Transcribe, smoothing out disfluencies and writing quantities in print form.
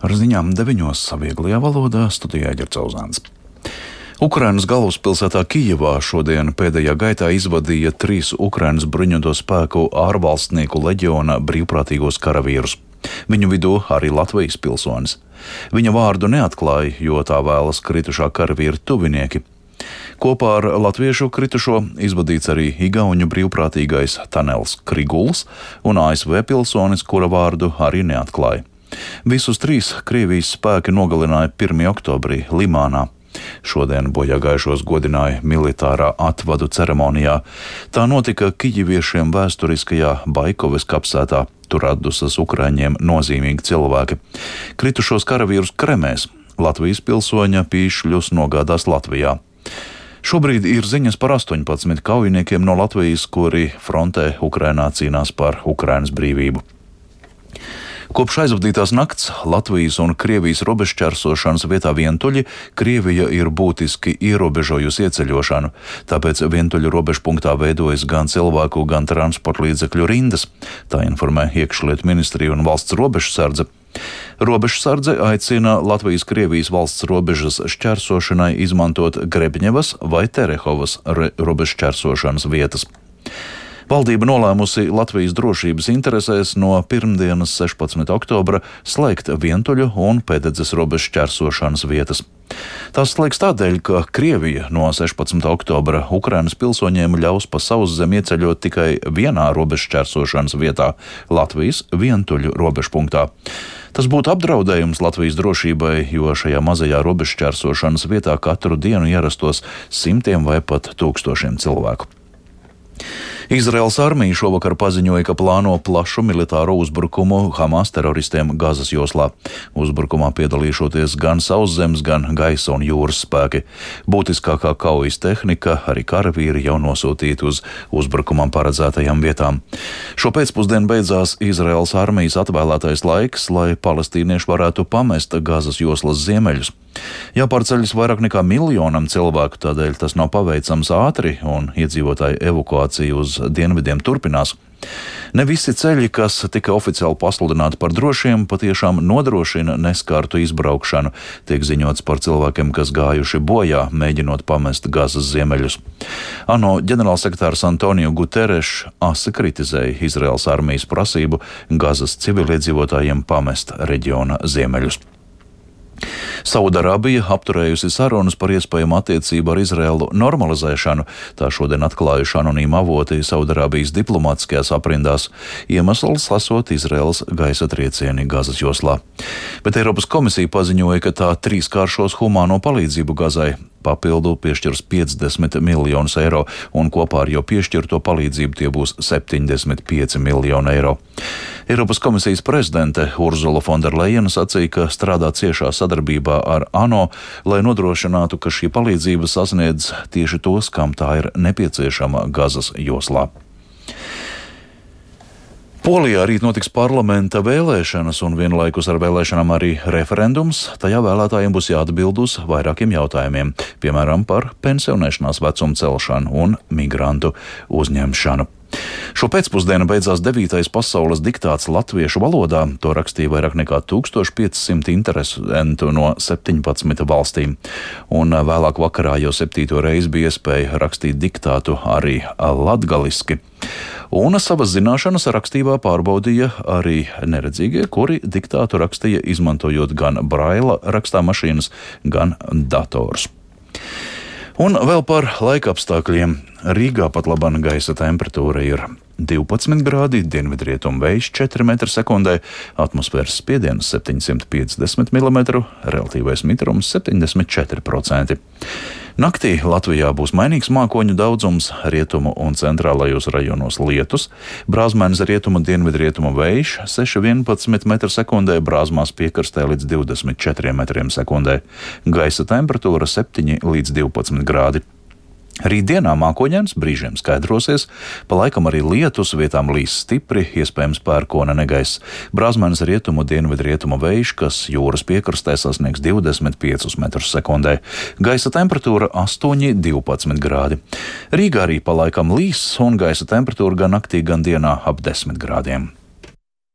Ar ziņām 9. vieglajā valodā studijā Ģercauzāns. Ukrainas galvaspilsētā Kijevā šodien pēdējā gaitā izvadīja 3 Ukrainas bruņoto spēku ārvalstnieku leģiona brīvprātīgos karavīrus. Viņu vidū arī Latvijas pilsonis. Viņa vārdu neatklāja, jo tā vēlas kritušā karavīra tuvinieki. Kopā ar latviešu kritušo izvadīts arī igauņu brīvprātīgais Tanels Kriguls un ASV pilsonis, kura vārdu arī neatklāja. Visus 3 Krievijas spēki nogalināja 1. oktobrī Limānā. Šodien bojāgājušos godināja militārā atvadu ceremonijā. Tā notika kijiviešiem vēsturiskajā Baikovas kapsētā. Tur atdusas ukraiņiem nozīmīgi cilvēki. Kritušos karavīrus kremēs. Latvijas pilsoņa pīšļus nogādās Latvijā. Šobrīd ir ziņas par 18 kaujiniekiem no Latvijas, kuri frontē Ukrainā cīnās par Ukrainas brīvību. Kopš aizvadītās nakts Latvijas un Krievijas robežšķērsošanas vietā Vientuļi Krievija ir būtiski ierobežojusi ieceļošanu, tāpēc Vientuļu robežpunktā veidojas gan cilvēku, gan transporta līdzekļu rindas, tā informē Iekšlietu ministrija un valsts robežsardze. Robežsardze aicina Latvijas-Krievijas valsts robežas šķērsošanai izmantot Grebņevas vai Terehovas robežšķērsošanas vietas. Valdība nolēmusi Latvijas drošības interesēs no pirmdienas 16. oktobra slēgt Vientuļu un Pēdedzes robežu šķērsošanas vietas. Tās slēgs tādēļ, ka Krievija no 16. oktobra Ukrainas pilsoņiem ļaus pa sauszemi ieceļot tikai vienā robežu šķērsošanas vietā – Latvijas Vientuļu robežpunktā. Tas būtu apdraudējums Latvijas drošībai, jo šajā mazajā robežu šķērsošanas vietā katru dienu ierastos simtiem vai pat tūkstošiem cilvēku. Izraēlas armija šovakar paziņoja, ka plāno plašu militāro uzbrukumu Hamas teroristiem Gazas joslā. Uzbrukumā piedalīšoties gan sauszemes, gan gaisa un jūras spēki. Būtiskākā kaujas tehnika, arī karavīri jau nosūtīti uz uzbrukumam paredzētajām vietām. Šo pēcpusdienu beidzās Izraēlas armijas atvēlētais laiks, lai palestīnieši varētu pamest Gazas joslas ziemeļus. Jāpārceļas vairāk nekā 1 miljonam cilvēku, tādēļ tas nav paveicams ātri un iedzīvotāju evakuācija uz dienvidiem turpinās. Ne visi ceļi, kas tika oficiāli pasludināti par drošiem, patiešām nodrošina neskārtu izbraukšanu, tiek ziņots par cilvēkiem, kas gājuši bojā, mēģinot pamest Gazas ziemeļus. ANO ģenerālsekretārs Antonio Guterres asi kritizēja Izraēlas armijas prasību Gazas civiliedzīvotājiem pamest reģiona ziemeļus. Saudarābija apturējusi sarunas par iespējamu attiecību ar Izraēlu normalizēšanu, tā šodien atklājuši anonīmi avoti Saudarābijas diplomātiskajās aprindās. Iemesls esot Izraēlas gaisa triecieni Gazas joslā. Bet Eiropas komisija paziņoja, ka tā 3-kāršos humāno palīdzību Gazai. Papildu piešķirs 50 miljonus eiro, un kopā ar jau piešķirto palīdzību tie būs 75 miljoni eiro. Eiropas komisijas prezidente Urzula Fonderlejena sacīja, ka strādā ciešā sadarbībā ar ANO, lai nodrošinātu, ka šī palīdzība sasniedz tieši tos, kam tā ir nepieciešama Gazas joslā. Polijā rīt notiks parlamenta vēlēšanas un vienlaikus ar vēlēšanām arī referendums. Tajā vēlētājiem būs jāatbild uz vairākiem jautājumiem, piemēram par pensionēšanās vecumu celšanu un migrantu uzņemšanu. Šo pēcpusdienu beidzās 9. pasaules diktāts latviešu valodā. To rakstīja vairāk nekā 1500 interesentu no 17 valstīm. Un vēlāk vakarā jau 7. reizi bija iespēja rakstīt diktātu arī latgaliski. Un savas zināšanas rakstībā pārbaudīja arī neredzīgie, kuri diktātu rakstīja izmantojot gan braila rakstāmašīnas, gan dators. Un vēl par laikapstākļiem. Rīgā pat labāk gaisa temperatūra ir 12 grādi, dienvidrietumu vējš 4 m/sekundē, atmosfēras spiediens 750 mm, relatīvais mitrums 74%. Naktī Latvijā būs mainīgs mākoņu daudzums, rietumu un centrālajos rajonos lietus, brāzmaiņas rietumu dienvidrietumu vējš 6,11 m/sekundē, brāzmās piekrastē līdz 24 m/sekundē, gaisa temperatūra 7 līdz 12 grādi. Rītdienā mākoņains, brīžiem skaidrosies, pa laikam arī lietus, vietām līs stipri, iespējams pērkona negaiss. Brāzmaiņas rietumu dienvidrietumu vējš, kas jūras piekrastē sasniegs 25 m/sekundē. Gaisa temperatūra 8,12 grādi. Rīgā arī pa laikam līs un gaisa temperatūra gan naktī, gan dienā ap 10 grādiem.